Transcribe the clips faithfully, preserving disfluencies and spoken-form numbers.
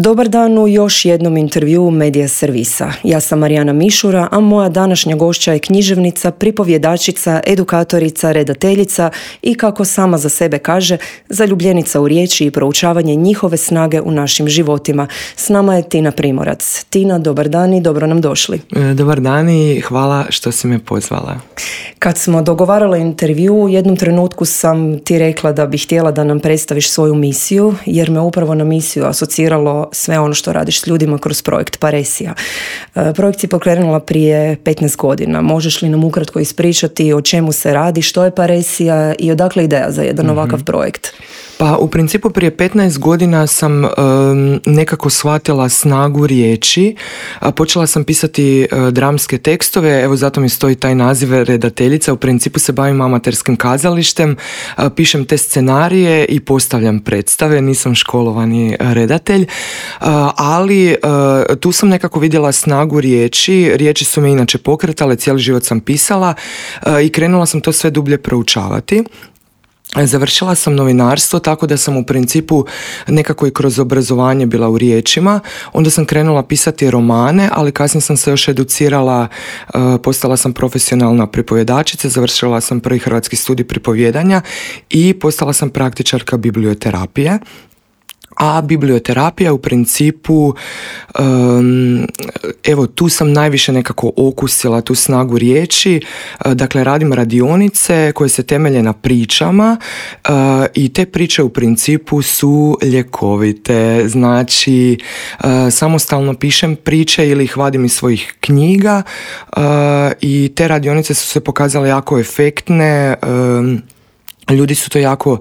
Dobar dan u još jednom intervjuu Medija servisa. Ja sam Marijana Mišura, a moja današnja gošća je književnica, pripovjedačica, edukatorica, redateljica i, kako sama za sebe kaže, zaljubljenica u riječi i proučavanje njihove snage u našim životima. S nama je Tina Primorac. Tina, dobar dan i dobro nam došli. Dobar dan i hvala što si me pozvala. Kad smo dogovarali intervju, u jednom trenutku sam ti rekla da bih htjela da nam predstaviš svoju misiju, jer me upravo na misiju asociralo sve ono što radiš s ljudima kroz projekt Paresija. Projekt si pokrenula prije petnaest godina. Možeš li nam ukratko ispričati o čemu se radi, što je Paresija i odakle ideja za jedan mm-hmm. ovakav projekt? Pa u principu prije petnaest godina sam um, nekako shvatila snagu riječi. A, počela sam pisati uh, dramske tekstove, evo zato mi stoji taj naziv redateljica. U principu se bavim amaterskim kazalištem, uh, pišem te scenarije i postavljam predstave, nisam školovani redatelj, uh, ali uh, tu sam nekako vidjela snagu riječi. Riječi su me inače pokretale, cijeli život sam pisala uh, i krenula sam to sve dublje proučavati. Završila sam novinarstvo, tako da sam u principu nekako i kroz obrazovanje bila u riječima. Onda sam krenula pisati romane, ali kasnije sam se još educirala, postala sam profesionalna pripovjedačica, završila sam prvi hrvatski studij pripovjedanja i postala sam praktičarka biblioterapije. A biblioterapija u principu, um, evo tu sam najviše nekako okusila tu snagu riječi. Uh, dakle, radim radionice koje se temelje na pričama uh, i te priče u principu su ljekovite. Znači, uh, samostalno pišem priče ili ih vadim iz svojih knjiga uh, i te radionice su se pokazale jako efektne. Um, Ljudi su to jako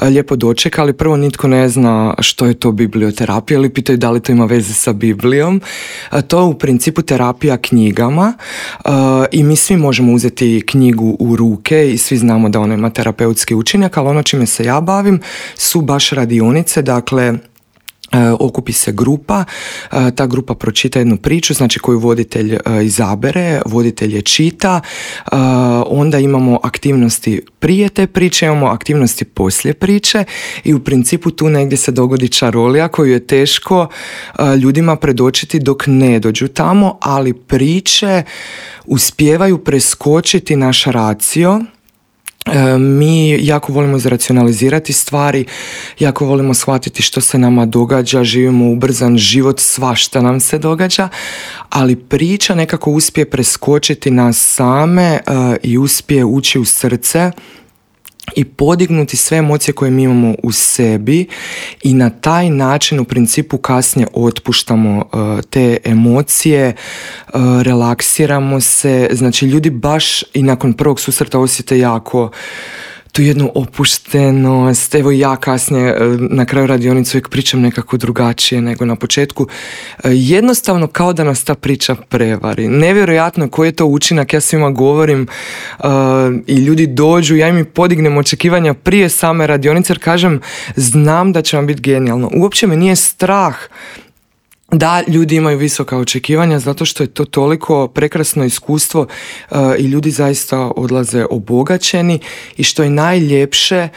lijepo dočekali. Prvo, nitko ne zna što je to biblioterapija ili pitaju da li to ima veze sa Biblijom. To je u principu terapija knjigama i mi svi možemo uzeti knjigu u ruke i svi znamo da ona ima terapeutski učinak, ali ono čime se ja bavim su baš radionice, dakle okupi se grupa, ta grupa pročita jednu priču, znači koju voditelj izabere, voditelj je čita, onda imamo aktivnosti prije te priče, imamo aktivnosti poslije priče i u principu tu negdje se dogodi čarolija koju je teško ljudima predočiti dok ne dođu tamo, ali priče uspijevaju preskočiti naš racio. Mi jako volimo izracionalizirati stvari, jako volimo shvatiti što se nama događa, živimo ubrzan život, svašta nam se događa, ali priča nekako uspije preskočiti nas same uh, i uspije ući u srce i podignuti sve emocije koje mi imamo u sebi i na taj način u principu kasnije otpuštamo uh, te emocije, uh, relaksiramo se, znači ljudi baš i nakon prvog susreta osjete jako tu jednu opuštenost. Evo ja kasnije na kraju radionice uvijek pričam nekako drugačije nego na početku. Jednostavno kao da nas ta priča prevari. Nevjerojatno koji je to učinak, ja svima govorim uh, i ljudi dođu, ja im podignem očekivanja prije same radionice jer kažem znam da će vam biti genijalno. Uopće me nije strah da ljudi imaju visoka očekivanja zato što je to toliko prekrasno iskustvo uh, i ljudi zaista odlaze obogaćeni i što je najljepše,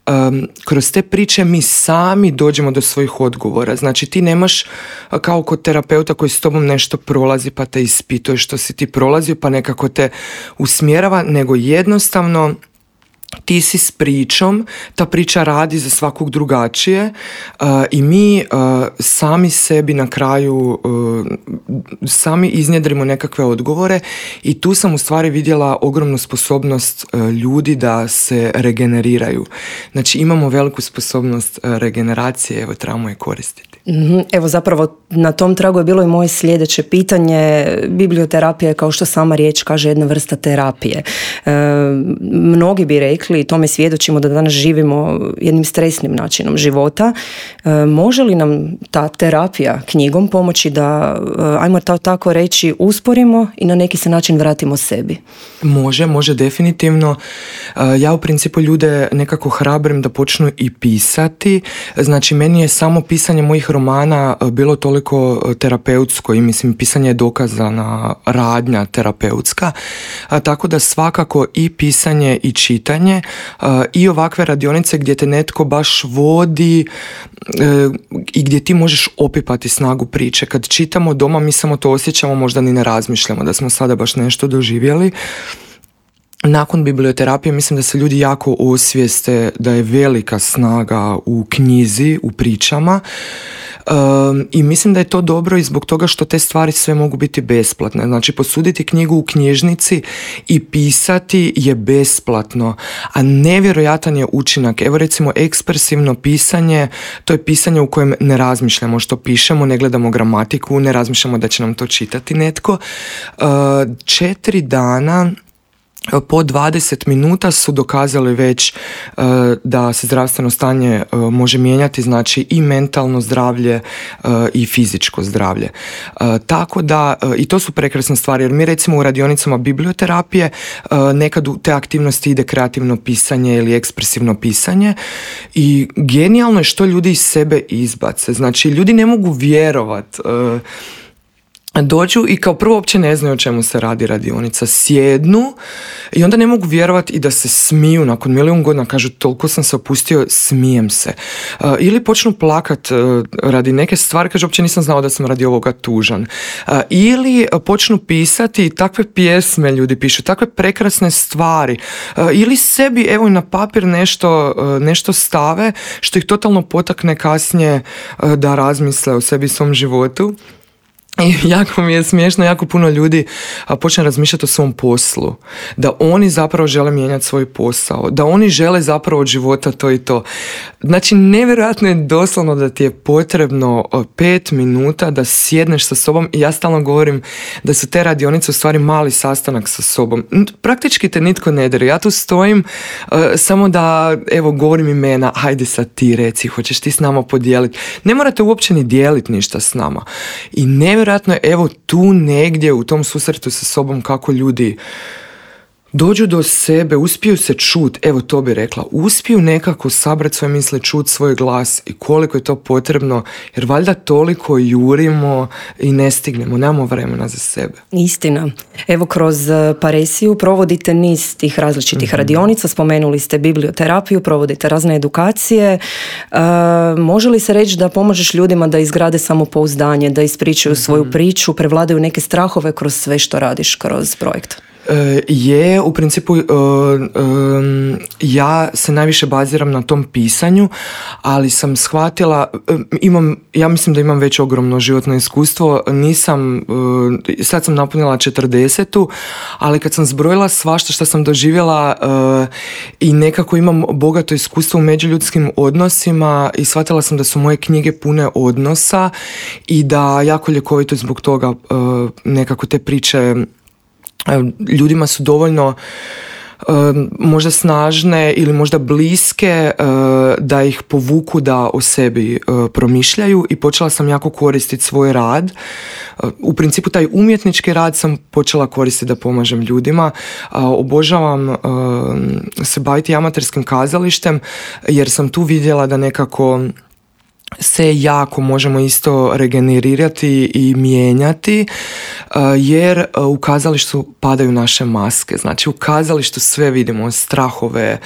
um, kroz te priče mi sami dođemo do svojih odgovora. Znači ti nemaš uh, kao kod terapeuta koji s tobom nešto prolazi pa te ispituje što si ti prolazio pa nekako te usmjerava, nego jednostavno ti si s pričom, ta priča radi za svakog drugačije uh, i mi uh, sami sebi na kraju uh, sami iznjedrimo nekakve odgovore i tu sam u stvari vidjela ogromnu sposobnost uh, ljudi da se regeneriraju. Znači imamo veliku sposobnost uh, regeneracije, evo trebamo je koristiti. Mm-hmm. Evo zapravo na tom tragu je bilo i moje sljedeće pitanje. Biblioterapija je, kao što sama riječ kaže, jedna vrsta terapije. E, mnogi bi rekli, i tome svjedočimo, da danas živimo jednim stresnim načinom života. E, može li nam ta terapija knjigom pomoći da, ajmo to tako reći, usporimo i na neki se način vratimo sebi? Može, može definitivno. Ja u principu ljude nekako hrabrim da počnu i pisati. Znači meni je samo pisanje mojih romana bilo toliko terapeutsko i mislim pisanje je dokazana radnja terapeutska, a tako da svakako i pisanje i čitanje pisanje i ovakve radionice gdje te netko baš vodi i gdje ti možeš opipati snagu priče. Kad čitamo doma, mi samo to osjećamo, možda ni ne razmišljamo da smo sada baš nešto doživjeli. Nakon biblioterapije mislim da se ljudi jako osvijeste da je velika snaga u knjizi, u pričama. Um, i mislim da je to dobro i zbog toga što te stvari sve mogu biti besplatne. Znači posuditi knjigu u knjižnici i pisati je besplatno, a nevjerojatan je učinak. Evo recimo ekspresivno pisanje, to je pisanje u kojem ne razmišljamo što pišemo, ne gledamo gramatiku, ne razmišljamo da će nam to čitati netko. Uh, četiri dana po dvadeset minuta su dokazali već uh, da se zdravstveno stanje uh, može mijenjati, znači i mentalno zdravlje uh, i fizičko zdravlje. Uh, tako da, uh, i to su prekrasne stvari, jer mi recimo u radionicama biblioterapije uh, nekad u te aktivnosti ide kreativno pisanje ili ekspresivno pisanje i genijalno je što ljudi iz sebe izbace. Znači, ljudi ne mogu vjerovat. Uh, Dođu i kao prvo uopće ne znaju o čemu se radi radionica, sjednu i onda ne mogu vjerovati i da se smiju nakon milijun godina, kažu toliko sam se opustio, smijem se. Uh, ili počnu plakat uh, radi neke stvari, kažu uopće nisam znao da sam radi ovoga tužan. Uh, ili uh, počnu pisati takve pjesme, ljudi pišu, takve prekrasne stvari. Uh, ili sebi evo na papir nešto, uh, nešto stave što ih totalno potakne kasnije uh, da razmisle o sebi i svom životu. I jako mi je smiješno, jako puno ljudi počne razmišljati o svom poslu, da oni zapravo žele mijenjati svoj posao, da oni žele zapravo od života to i to. Znači, nevjerojatno je doslovno da ti je potrebno pet minuta da sjedneš sa sobom i ja stalno govorim da su te radionice u stvari mali sastanak sa sobom. Praktički te nitko ne dere. Ja tu stojim uh, samo da, evo, govorim imena, hajde sad ti reci, hoćeš ti s nama podijeliti. Ne morate uopće ni dijeliti ništa s nama. I nevjerojatno Vjerojatno je evo tu negdje u tom susretu sa sobom kako ljudi dođu do sebe, uspiju se čut, evo to bi rekla, uspiju nekako sabrati svoje misle, čut svoj glas i koliko je to potrebno, jer valjda toliko jurimo i ne stignemo, nemamo vremena za sebe. Istina. Evo kroz Paresiju provodite niz tih različitih mm-hmm. radionica, spomenuli ste biblioterapiju, provodite razne edukacije. E, može li se reći da pomožeš ljudima da izgrade samopouzdanje, da ispričaju mm-hmm. svoju priču, prevladaju neke strahove kroz sve što radiš kroz projekt? Je, u principu ja se najviše baziram na tom pisanju, ali sam shvatila, imam, ja mislim da imam već ogromno životno iskustvo, nisam, sad sam napunila četrdesetu, ali kad sam zbrojila svašta što sam doživjela i nekako imam bogato iskustvo u međuljudskim odnosima i shvatila sam da su moje knjige pune odnosa i da jako ljekovito zbog toga nekako te priče ljudima su dovoljno uh, možda snažne ili možda bliske uh, da ih povuku da o sebi uh, promišljaju i počela sam jako koristiti svoj rad. Uh, u principu taj umjetnički rad sam počela koristiti da pomažem ljudima. Uh, obožavam uh, se baviti amaterskim kazalištem jer sam tu vidjela da nekako se jako možemo isto regenerirati i mijenjati jer u kazalištu padaju naše maske. Znači u kazalištu sve vidimo, strahove,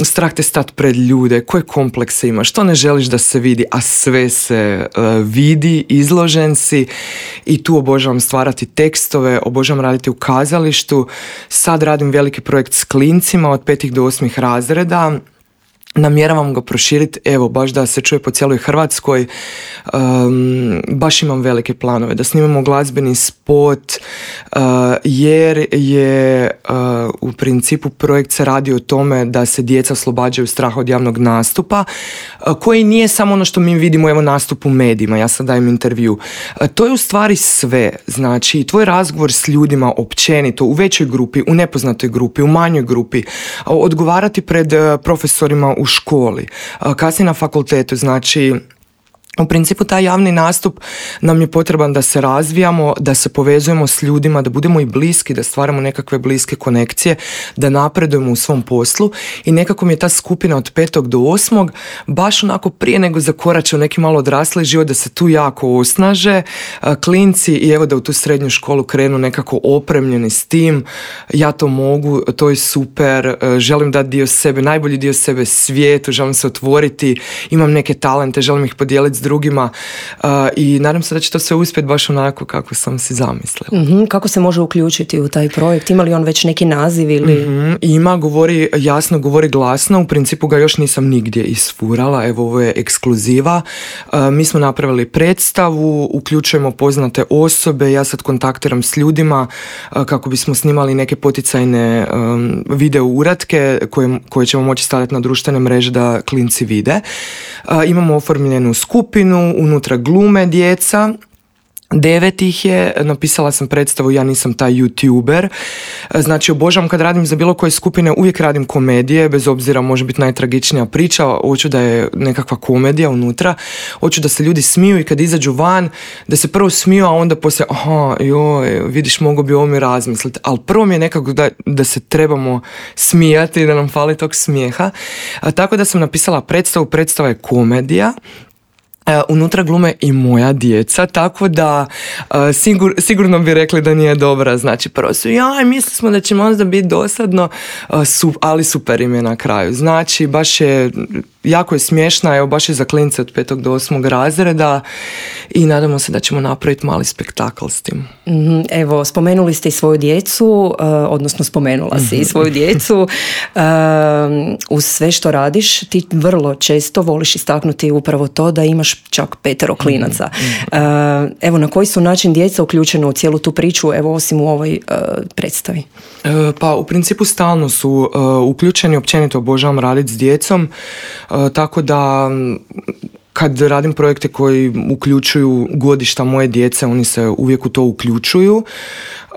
strah te stat pred ljude, koje komplekse imaš, što ne želiš da se vidi, a sve se vidi, izložen si i tu obožavam stvarati tekstove, obožavam raditi u kazalištu. Sad radim veliki projekt s klincima od petih do osmih razreda. Namjeravam ga proširiti, evo, baš da se čuje po cijeloj Hrvatskoj. Um, baš imam velike planove da snimamo glazbeni spot uh, jer je uh, u principu projekt se radi o tome da se djeca oslobađaju straha od javnog nastupa uh, koji nije samo ono što mi vidimo, evo, nastup u medijima, ja sad dajem intervju. Uh, to je u stvari sve, znači tvoj razgovor s ljudima općenito, u većoj grupi, u nepoznatoj grupi, u manjoj grupi, uh, odgovarati pred uh, profesorima u školi, kasnije na fakultetu, znači U principu taj javni nastup nam je potreban da se razvijamo, da se povezujemo s ljudima, da budemo i bliski, da stvaramo nekakve bliske konekcije, da napredujemo u svom poslu i nekako mi je ta skupina od petog do osmog baš onako prije nego zakorače u neki malo odrasli život, da se tu jako osnaže klinci i evo da u tu srednju školu krenu nekako opremljeni s tim, ja to mogu, to je super, želim dati dio sebe, najbolji dio sebe svijetu, želim se otvoriti, imam neke talente, želim ih podijeliti s drugima uh, i nadam se da će to sve uspjeti baš onako kako sam si zamislila. Mm-hmm. Kako se može uključiti u taj projekt? Ima li on već neki naziv ili... Mm-hmm. Ima, govori jasno, govori glasno, u principu ga još nisam nigdje isfurala, evo ovo je ekskluziva. Uh, mi smo napravili predstavu, uključujemo poznate osobe, ja sad kontaktiram s ljudima uh, kako bismo snimali neke poticajne um, video uratke koje, koje ćemo moći staviti na društvene mreže da klinci vide. Uh, imamo oformljenu skupinu, unutra glume djeca, devet ih je, napisala sam predstavu, ja nisam taj youtuber, znači obožavam kad radim za bilo koje skupine, uvijek radim komedije, bez obzira može biti najtragičnija priča, hoću da je nekakva komedija unutra, hoću da se ljudi smiju i kad izađu van, da se prvo smiju, a onda poslije, aha, joj, vidiš, mogu bi ovo mi razmisliti, ali prvo mi je nekako da, da se trebamo smijati, da nam fali tog smijeha, a, tako da sam napisala predstavu, predstava je komedija. Uh, unutra glume i moja djeca, tako da uh, sigur, sigurno bi rekli da nije dobra. Znači, prvo su, jaj, mislili smo da će možda biti dosadno, uh, su, ali super im je na kraju. Znači, baš je, jako je smiješna, evo, baš je za klince od petog do osmog razreda i nadamo se da ćemo napraviti mali spektakl s tim. Mm, evo, spomenuli ste i svoju djecu, uh, odnosno spomenula mm-hmm. si i svoju djecu. Uh, uz sve što radiš, ti vrlo često voliš istaknuti upravo to da imaš čak petero klinaca. Mm-hmm. Uh, evo, na koji su način djeca uključena u cijelu tu priču, evo, osim u ovoj uh, predstavi? Uh, pa, u principu stalno su uh, uključeni, općenito obožavam raditi s djecom, uh, tako da kad radim projekte koji uključuju godišta moje djece, oni se uvijek u to uključuju.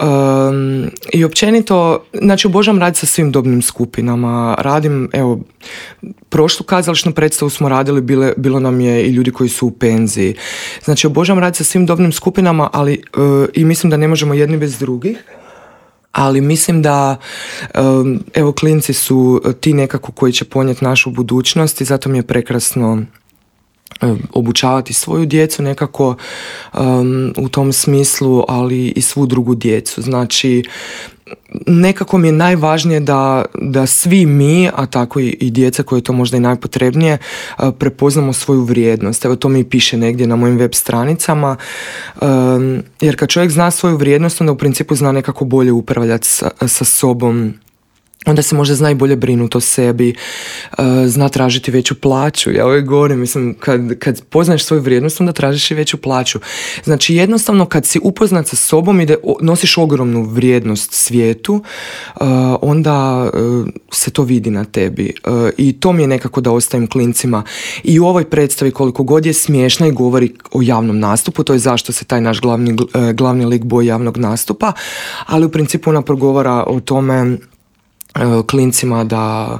Um, I općenito, znači obožavam raditi sa svim dobnim skupinama. Radim, evo, prošlu kazališnu predstavu smo radili, bile, bilo nam je i ljudi koji su u penziji. Znači obožavam raditi sa svim dobnim skupinama, ali uh, i mislim da ne možemo jedni bez drugih. Ali mislim da, um, evo, klinci su ti nekako koji će ponijeti našu budućnost i zato mi je prekrasno obučavati svoju djecu nekako um, u tom smislu, ali i svu drugu djecu. Znači, nekako mi je najvažnije da, da svi mi, a tako i, i djeca koje je to možda i najpotrebnije, uh, prepoznamo svoju vrijednost. Evo, to mi piše negdje na mojim web stranicama, um, jer kad čovjek zna svoju vrijednost, onda u principu zna nekako bolje upravljati sa, sa sobom, onda se možda zna i bolje brinuti o sebi, uh, zna tražiti veću plaću. Ja uvijek govorim, mislim, kad, kad poznaješ svoju vrijednost, onda tražiš i veću plaću. Znači, jednostavno, kad si upoznat sa sobom i da nosiš ogromnu vrijednost svijetu, uh, onda uh, se to vidi na tebi. Uh, I to mi je nekako da ostavim klincima. I u ovoj predstavi, koliko god je smiješna i govori o javnom nastupu, to je zašto se taj naš glavni, uh, glavni lik boji javnog nastupa, ali u principu ona progovara o tome klincima da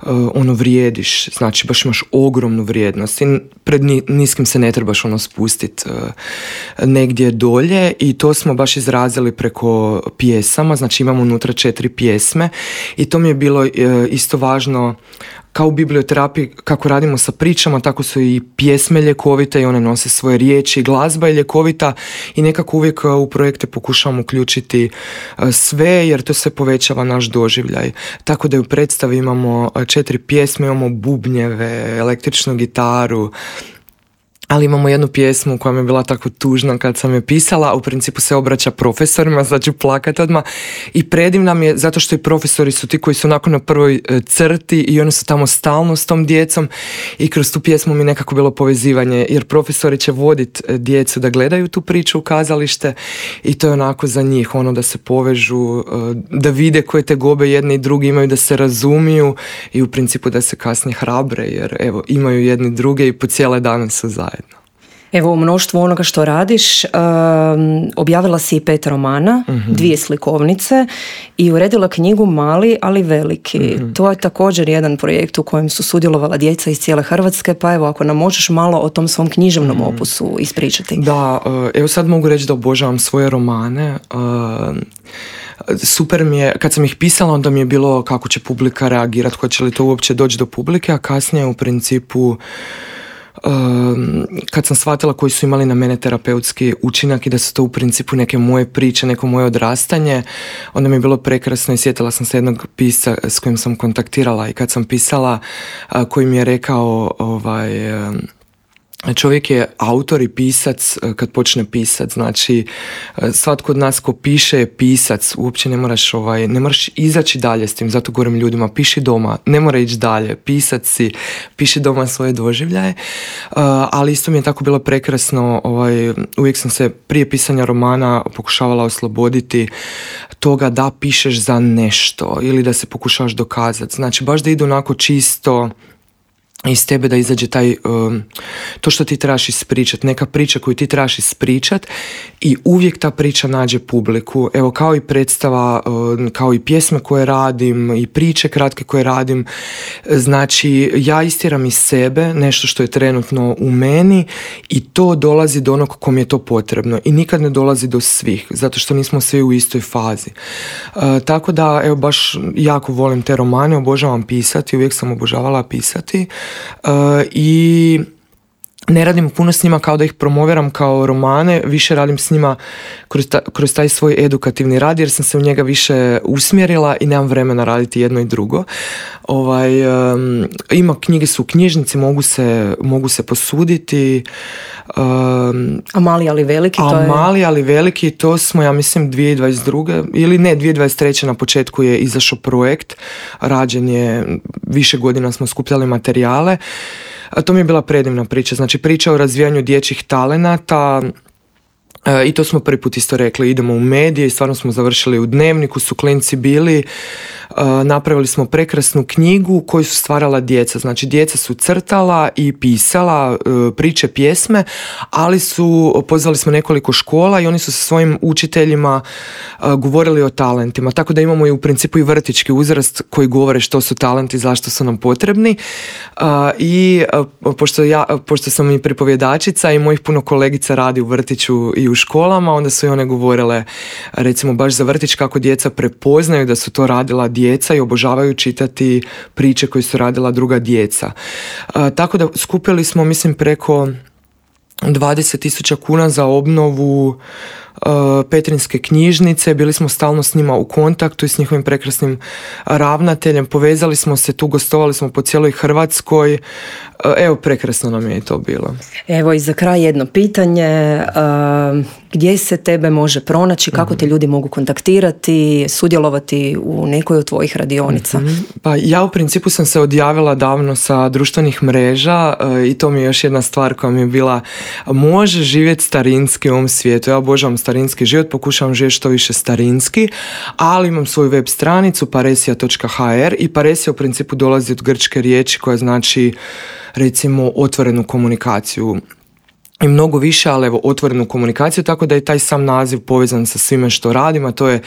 uh, ono vrijediš, znači baš imaš ogromnu vrijednost i pred niskim se ne trebaš ono spustiti uh, negdje dolje i to smo baš izrazili preko pjesama, znači imamo unutra četiri pjesme i to mi je bilo uh, isto važno. Kao u biblioterapiji, kako radimo sa pričama, tako su i pjesme ljekovite i one nose svoje riječi, glazba je ljekovita i nekako uvijek u projekte pokušavam uključiti sve, jer to se povećava naš doživljaj. Tako da u predstavi imamo četiri pjesme, imamo bubnjeve, električnu gitaru, ali imamo jednu pjesmu koja mi je bila tako tužna kad sam je pisala, u principu se obraća profesorima, znači plakat odmah i predivna mi je zato što i profesori su ti koji su onako na prvoj crti i oni su tamo stalno s tom djecom i kroz tu pjesmu mi nekako bilo povezivanje, jer profesori će voditi djecu da gledaju tu priču u kazalište i to je onako za njih, ono da se povežu, da vide koje tegobe jedni i drugi imaju, da se razumiju i u principu da se kasnije hrabre, jer evo imaju jedni druge i po cijele dane su zajedno. Evo, u mnoštvu onoga što radiš, um, objavila si i pet romana, mm-hmm. dvije slikovnice i uredila knjigu Mali, ali veliki. Mm-hmm. To je također jedan projekt u kojem su sudjelovala djeca iz cijele Hrvatske, pa evo, ako nam možeš malo o tom svom književnom mm-hmm. opusu ispričati. Da, evo sad mogu reći da obožavam svoje romane. Uh, super mi je, kad sam ih pisala, onda mi je bilo kako će publika reagirati, hoće li to uopće doći do publike, a kasnije u principu Um, kad sam shvatila koji su imali na mene terapeutski učinak i da su to u principu neke moje priče, neko moje odrastanje, onda mi je bilo prekrasno i sjetila sam se jednog pisca s kojim sam kontaktirala i kad sam pisala, uh, koji mi je rekao ovaj... Um, čovjek je autor i pisac kad počne pisat, znači svatko od nas ko piše je pisac, uopće ne moraš, ovaj, ne moraš izaći dalje s tim, zato govorim ljudima, piši doma, ne mora ići dalje, pisac si, piši doma svoje doživljaje, uh, ali isto mi je tako bilo prekrasno, ovaj, uvijek sam se prije pisanja romana pokušavala osloboditi toga da pišeš za nešto ili da se pokušavaš dokazati, znači baš da ide onako čisto iz tebe, da izađe taj, um, to što ti trebaš ispričat, neka priča koju ti trebaš ispričat i uvijek ta priča nađe publiku. Evo, kao i predstava, um, kao i pjesme koje radim i priče kratke koje radim, znači ja istiram iz sebe nešto što je trenutno u meni i to dolazi do onog kom je to potrebno i nikad ne dolazi do svih, zato što nismo svi u istoj fazi. Uh, tako da, evo, baš jako volim te romane, obožavam pisati, uvijek sam obožavala pisati. Uh, i ne radim puno s njima kao da ih promoviram kao romane, više radim s njima kroz, ta, kroz taj svoj edukativni rad jer sam se u njega više usmjerila i nemam vremena raditi jedno i drugo. Ovaj, um, ima knjige su u knjižnici, mogu se, mogu se posuditi. Um, a Mali ali veliki? A to je... Mali ali veliki, to smo, ja mislim, dvije tisuće dvadeset druge ili ne, dvije tisuće dvadeset treće na početku je izašao projekt, rađen je, više godina smo skupljali materijale. A to mi je bila predivna priča, znači priča o razvijanju dječjih talenata e, i to smo prvi put isto rekli, idemo u medije i stvarno smo završili u Dnevniku, su klinci bili, e, napravili smo prekrasnu knjigu koju su stvarala djeca, znači djeca su crtala i pisala e, priče, pjesme, ali su, pozvali smo nekoliko škola i oni su sa svojim učiteljima e, govorili o talentima, tako da imamo i u principu i vrtićki uzrast koji govore što su talenti, zašto su nam potrebni. I pošto, ja, pošto sam i pripovjedačica i mojih puno kolegica radi u vrtiću i u školama, onda su i one govorile recimo baš za vrtić kako djeca prepoznaju da su to radila djeca i obožavaju čitati priče koje su radila druga djeca. A, tako da skupili smo, mislim, preko dvadeset tisuća kuna za obnovu uh, Petrinjske knjižnice, bili smo stalno s njima u kontaktu i s njihovim prekrasnim ravnateljem, povezali smo se tu, gostovali smo po cijeloj Hrvatskoj, uh, evo, prekrasno nam je i to bilo. Evo i za kraj jedno pitanje, uh, gdje se tebe može pronaći, kako te ljudi mogu kontaktirati, sudjelovati u nekoj od tvojih radionica? Mm-hmm. Pa ja u principu sam se odjavila davno sa društvenih mreža uh, i to mi je još jedna stvar koja mi je bila, može živjeti starinski u ovom svijetu. Ja obožavam starinski život, pokušavam živjeti što više starinski, ali imam svoju web stranicu paresija točka ha er i paresija u principu dolazi od grčke riječi koja znači recimo otvorenu komunikaciju i mnogo više, ali evo, otvorenu komunikaciju, tako da je taj sam naziv povezan sa svime što radimo, a to je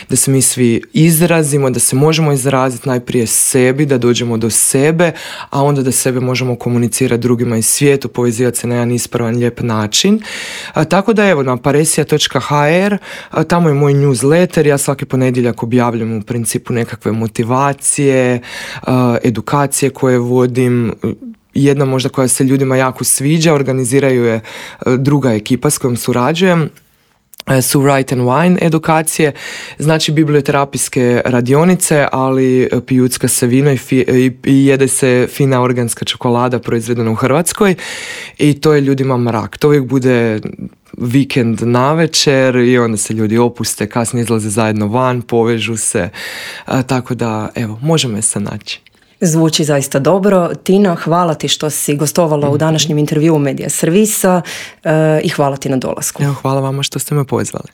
da se mi svi izrazimo, da se možemo izraziti najprije sebi, da dođemo do sebe, a onda da sebe možemo komunicirati drugima iz svijetu, povezivati se na jedan ispravan, lijep način. A, tako da evo, na paresija točka ha er, a, tamo je moj newsletter, ja svaki ponedjeljak objavljam u principu nekakve motivacije, a, edukacije koje vodim. Jedna možda koja se ljudima jako sviđa, organiziraju je druga ekipa s kojom surađujem, su Write and Wine edukacije, znači biblioterapijske radionice, ali pijucka se vino i, fi, i jede se fina organska čokolada proizvedena u Hrvatskoj i to je ljudima mrak. To uvijek bude vikend navečer i onda se ljudi opuste, kasnije izlaze zajedno van, povežu se, a, tako da evo, možemo je se naći. Zvuči zaista dobro. Tina, hvala ti što si gostovala mm-hmm. u današnjem intervjuu Medija Servisa uh, i hvala ti na dolasku. Evo, hvala vama što ste me pozvali.